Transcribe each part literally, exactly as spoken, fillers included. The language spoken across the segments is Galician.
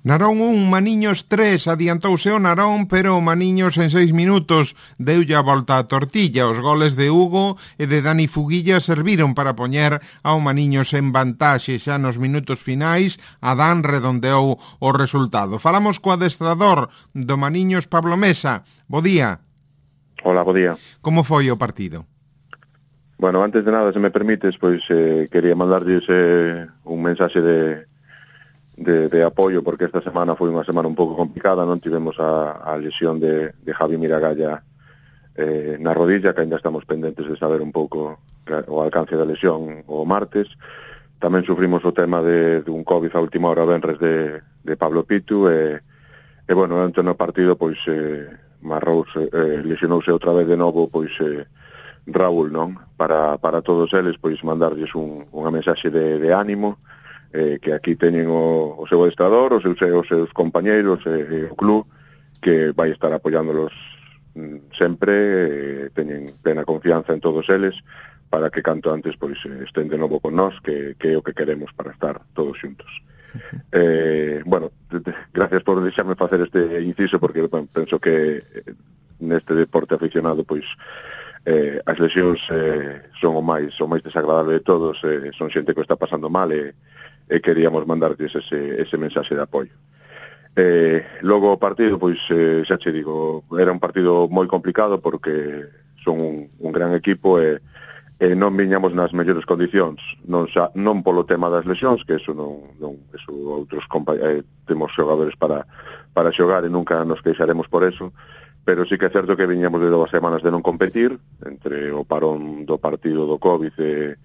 Narón un, Maniños tres, adiantouse o Narón, pero o Maniños en seis minutos deulle a volta a tortilla. Os goles de Hugo e de Dani Fuguilla serviron para poñer ao Maniños en vantaxe. Xa nos minutos finais, Adán redondeou o resultado. Falamos co adestrador do Maniños, Pablo Mesa. Bo día. Hola, bo día. Como foi o partido? Bueno, antes de nada, se me permites, pois eh, quería mandarlles eh, un mensaxe de... De, de apoio, porque esta semana foi unha semana un pouco complicada, non tivemos a, a lesión de, de Javi Miragalla eh, na rodilla, que ainda estamos pendentes de saber un pouco o alcance da lesión o martes. Tamén sufrimos o tema de, de un COVID a última hora venres de, de Pablo Pitu, e, e bueno, antes no partido, pois eh, Marrous eh, lesionouse outra vez de novo, pois eh, Raúl, non? Para, para todos eles, pois mandarlles un, unha mensaxe de, de ánimo, Eh, que aquí teñen o, o seu adestrador, os seus, os seus compañeiros, eh, o club, que vai estar apoiándolos mm, sempre, eh, teñen plena confianza en todos eles, para que canto antes pois estén de novo con nós, que, que é o que queremos para estar todos xuntos. Uh-huh. Eh, bueno, gracias por deixarme facer este inciso, porque bueno, penso que neste deporte aficionado, pois, eh, as lesións eh, son o máis, o máis desagradable de todos, eh, son xente que está pasando mal, e e queríamos mandartes ese, ese mensaxe de apoio. Eh, logo o partido, pois, eh, xa che digo, era un partido moi complicado porque son un, un gran equipo e, e non viñamos nas mellores condicións, non, xa, non polo tema das lesións, que eso non, non eso outros compa- eh, temos xogadores para, para xogar e nunca nos queixaremos por eso, pero sí que é certo que viñamos de dúas semanas de non competir, entre o parón do partido do COVID e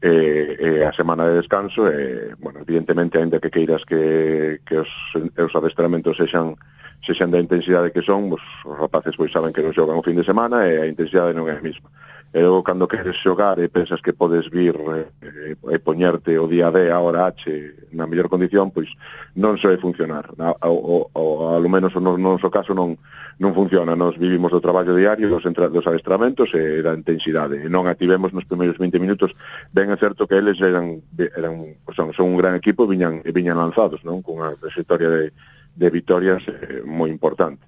E, e a semana de descanso, e, bueno, evidentemente, ainda que queiras que, que os, os adestramentos sexan, sexan da intensidade que son, os, os rapaces pois saben que non xogan o fin de semana e a intensidade non é a mesma. E logo, cando queres xogar e pensas que podes vir e, e poñerte o día D, a hora H, na mellor condición, pois non soe funcionar. A, a, o, o, a lo menos no noso caso non, non funciona. Nos vivimos do traballo diario, dos, entra, dos adestramentos e da intensidade. E non ativemos nos primeiros vinte minutos. Ben é certo que eles eran, eran son, son un gran equipo e viñan, e viñan lanzados, non? Cunha trayectoria de de vitorias eh, moi importante.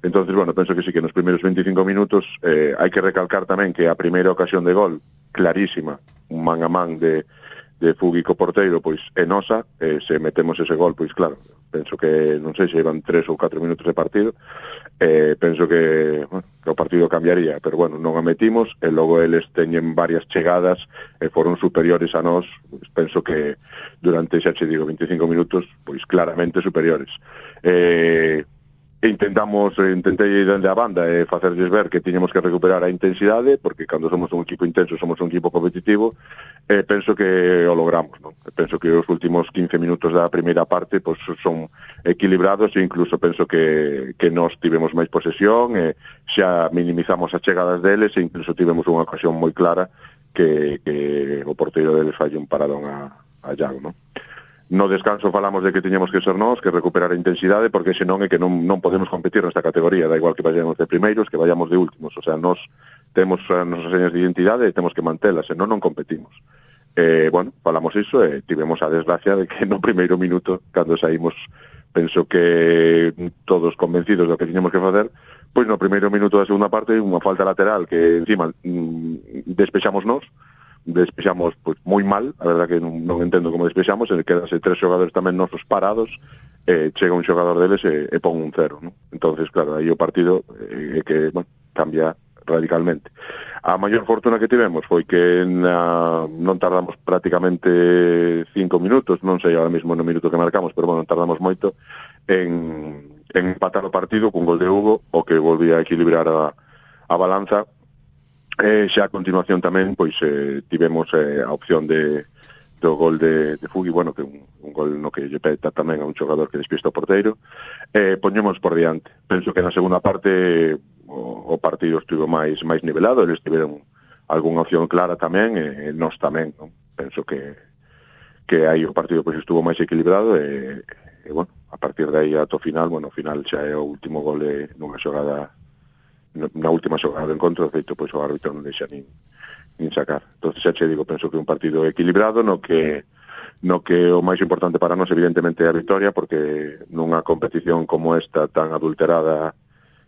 Entonces, bueno, penso que sí que nos primeiros veinticinco minutos eh, hai que recalcar tamén que a primeira ocasión de gol, clarísima, un man a man de, de Fugui co porteiro, pois é nosa, eh, se metemos ese gol, pois claro, penso que, non sei se iban tres ou catro minutos de partido, eh, penso que, bueno, que o partido cambiaría, pero bueno, non a metimos, e logo eles teñen varias chegadas e foron superiores a nós, pois penso que durante, xa che digo, veinticinco minutos, pois claramente superiores. Eh, intentamos, intentei dende a banda e eh, facerlles ver que tiñamos que recuperar a intensidade, porque cando somos un equipo intenso somos un equipo competitivo, e eh, penso que o logramos, non? Penso que os últimos quince minutos da primeira parte pois, son equilibrados, e incluso penso que, que nós tivemos máis posesión, e xa minimizamos as chegadas deles, e incluso tivemos unha ocasión moi clara que, que o porteiro deles falle un paradón a, a Iago, non? No descanso falamos de que teñamos que ser nós, que recuperar a intensidade, porque senón é que non, non podemos competir nesta categoría, da igual que vayamos de primeiros, que vayamos de últimos. O sea, nós temos as nosas señas de identidade e temos que mantelas, senón non competimos. Eh, bueno, falamos iso e tivemos a desgracia de que no primeiro minuto, cando saímos, penso que todos convencidos do que tiñamos que facer, pois no primeiro minuto da segunda parte, unha falta lateral que encima mm, despexamos nós, despexamos pois moi mal, a verdad que non, non entendo como despexamos, e quedanse tres xogadores tamén nosos parados, e chega un xogador deles e, e pon un cero, non? Entonces, claro, aí o partido é eh, que, bueno, cambia radicalmente. A maior fortuna que tivemos foi que na, non tardamos prácticamente cinco minutos, non sei ahora mesmo no minuto que marcamos, pero bueno, non tardamos moito en, en empatar o partido cun gol de Hugo, o que volvía a equilibrar a, a balanza. E xa a continuación tamén pois eh, tivemos eh, a opción de do gol de, de Fugui, bueno, que un, un gol no que lle peta tamén a un xogador que despista o porteiro, e eh, poñemos por diante. Penso que na segunda parte o, o partido estivo máis máis nivelado, eles tiveron algunha opción clara tamén, e, e nós tamén, non? Penso que que aí o partido pois estuvo máis equilibrado, e, e bueno, a partir de aí ato final, bueno, o final xa é o último gol de, nunha xogada, na última xogada do encontro, de feito, pois o árbitro non deixa nin, nin sacar. Entonces, xa che digo, penso que un partido equilibrado no que no que o máis importante para nós evidentemente é a victoria, porque nunha competición como esta tan adulterada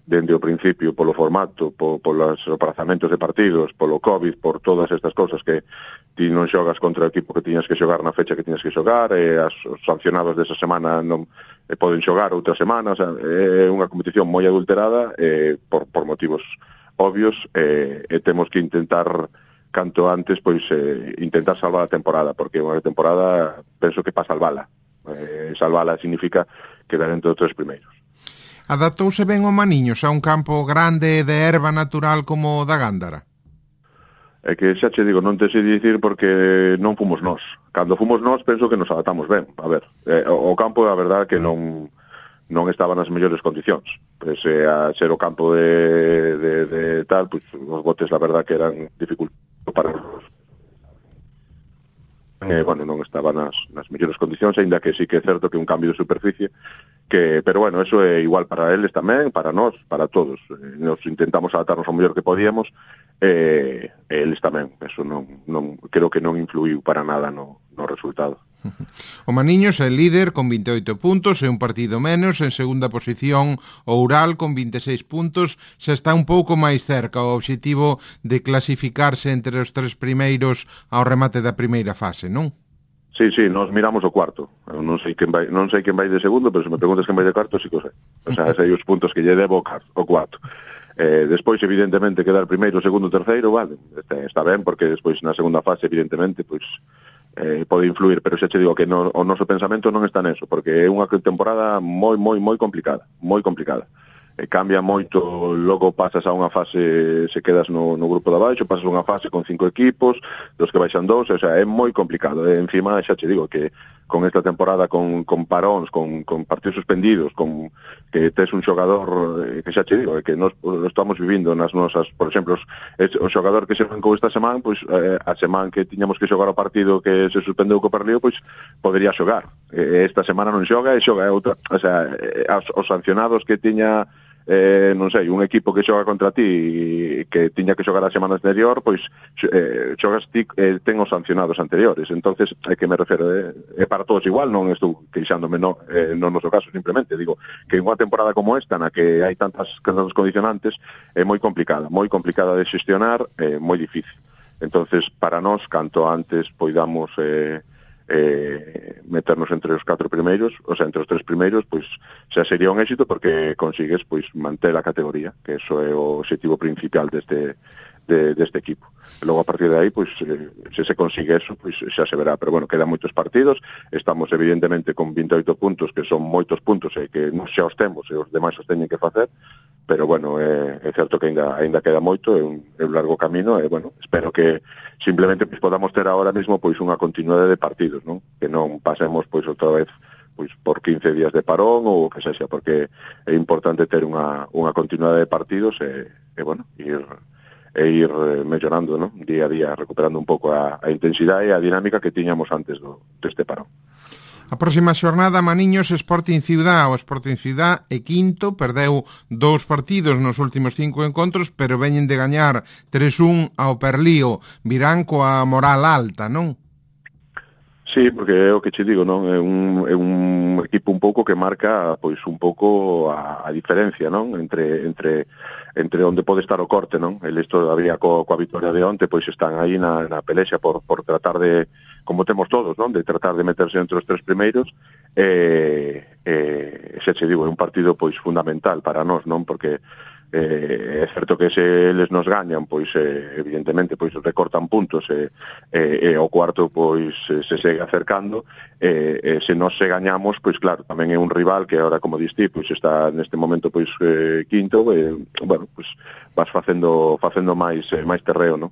dende o principio polo formato, po, polos aprazamentos de partidos, polo COVID, por todas estas cousas que ti non xogas contra o equipo que tiñas que xogar na fecha que tiñas que xogar, e as, os sancionados desa semana non e poden xogar outra semana, o sea, é unha competición moi adulterada eh, por, por motivos obvios, eh, e temos que intentar canto antes, pois eh, intentar salvar a temporada, porque unha temporada penso que para salvala. Eh, salvala significa quedar entre os tres primeiros. Adaptouse ben o Maniños a un campo grande de erva natural como o da Gándara? É que xa che digo, non te sei dicir porque non fomos nós. Cando fomos nós, penso que nos adaptamos ben. A ver, eh, o campo, a verdad, que non non estaba nas mellores condicións. Pese a ser o campo de, de, de tal, pues, os botes, la verdad, que eran dificultosos para os... Eh, bueno, non estaba nas, nas mellores condicións, ainda que sí que é certo que un cambio de superficie, que, pero bueno, eso é igual para eles tamén, para nós, para todos. Eh, nos intentamos adaptarnos ao mellor que podíamos, e eh, eles tamén. Eso non, non, creo que non influiu para nada no, no resultado. O Maniños é líder con vinte e oito puntos e un partido menos. En segunda posición o Ural con vinte e seis puntos. Se está un pouco máis cerca o obxectivo de clasificarse entre os tres primeiros ao remate da primeira fase, non? Sí, sí, nos miramos o cuarto. Eu non sei quen vai, non sei quen vai de segundo, pero se me preguntas quen vai de cuarto, sí que o sei. O sea, sei os puntos que lle debo o cuarto. Eh, despois, evidentemente, quedar primeiro, segundo, terceiro, vale, está, está ben, porque despois na segunda fase, evidentemente, pois eh, pode influir, pero xa che digo que no, o noso pensamento non está neso, porque é unha temporada moi, moi, moi complicada, moi complicada. Eh, cambia moito, logo pasas a unha fase, se quedas no, no grupo de abaixo, pasas a unha fase con cinco equipos, dos que baixan dous, o sea, é moi complicado. E encima, xa che digo que con esta temporada, con, con paróns, con, con partidos suspendidos, con que tes un xogador, eh, que xa che digo, que nos lo estamos vivindo nas nosas, por exemplo, es, o xogador que se mancou esta semana, pois eh, a semana que tiñamos que xogar o partido que se suspendeu co Perlío, pois podería xogar. Eh, esta semana non xoga e xoga outra, o sea, eh, os sancionados que tiña eh, non sei, un equipo que xoga contra ti que tiña que xogar a semana anterior, pois eh, xogas ti, eh, ten os sancionados anteriores. Entonces, é que me refero, é eh, para todos igual, non estou queixándome no, eh, no noso caso, simplemente digo que en unha temporada como esta, na que hai tantas, tantos condicionantes, é moi complicada, moi complicada de xestionar, é eh, moi difícil. Entonces, para nós, canto antes poidamos eh, eh, meternos entre os catro primeiros, o sea, entre os tres primeiros, pois xa sería un éxito, porque consigues pois manter a categoría, que eso é o objetivo principal deste de, deste equipo. Logo, a partir de aí, pois, eh, se se consigue eso, pois xa se verá. Pero, bueno, quedan moitos partidos, estamos, evidentemente, con vinte e oito puntos, que son moitos puntos, e que non xa os temos, e os demais os teñen que facer, pero, bueno, é, é certo que ainda, ainda queda moito, é un, é un largo camino, e, bueno, espero que simplemente pois, podamos ter ahora mesmo pois unha continuidade de partidos, non? Que non pasemos, pois, outra vez pois por quince días de parón ou o que sexa, porque é importante ter unha, unha continuidade de partidos e, e bueno, ir e ir mellorando, ¿no? Día a día, recuperando un pouco a, a intensidade e a dinámica que tiñamos antes do, deste parón. A próxima xornada, Maniños Sporting Ciudad. O Sporting Ciudad é quinto, perdeu dous partidos nos últimos cinco encontros, pero veñen de gañar tres un ao Perlío. Virán coa moral alta, non? Sí, porque é o que che digo, non? É un, é un equipo un pouco que marca pois un pouco a, a diferencia, non? Entre entre entre onde pode estar o corte, non? El isto había co, coa victoria de onte, pois están aí na, na pelexa por, por tratar de, como temos todos, non? De tratar de meterse entre os tres primeiros. E, e xa che digo, é un partido pois fundamental para nós, non? Porque eh, é certo que se eles nos gañan, pois eh, evidentemente pois recortan puntos e, e, e o cuarto pois se segue acercando, e, e se nos se gañamos, pois claro, tamén é un rival que agora, como diste, pois está neste momento pois eh, quinto, e bueno, pois vas facendo facendo máis eh, máis terreo, non?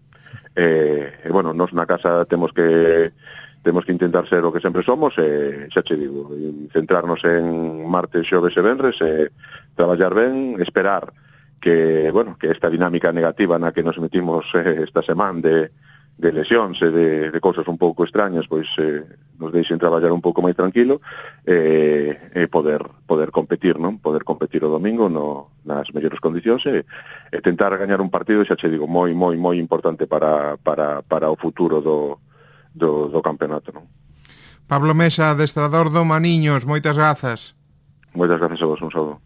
E, e bueno, nós na casa temos que temos que intentar ser o que sempre somos, e xa che digo, centrarnos en martes, xoves e venres, e traballar ben, esperar que, bueno, que esta dinámica negativa na que nos metimos eh, esta semana de, de lesións e de, de cousas un pouco extrañas, pois eh, nos deixen traballar un pouco máis tranquilo e, e poder poder competir, non? Poder competir o domingo no, nas mellores condicións e, e tentar gañar un partido, xa che digo, moi, moi, moi importante para, para, para o futuro do, do, do campeonato, non? Pablo Mesa, adestrador do Maniños, moitas grazas. Moitas grazas a vos, un saúdo.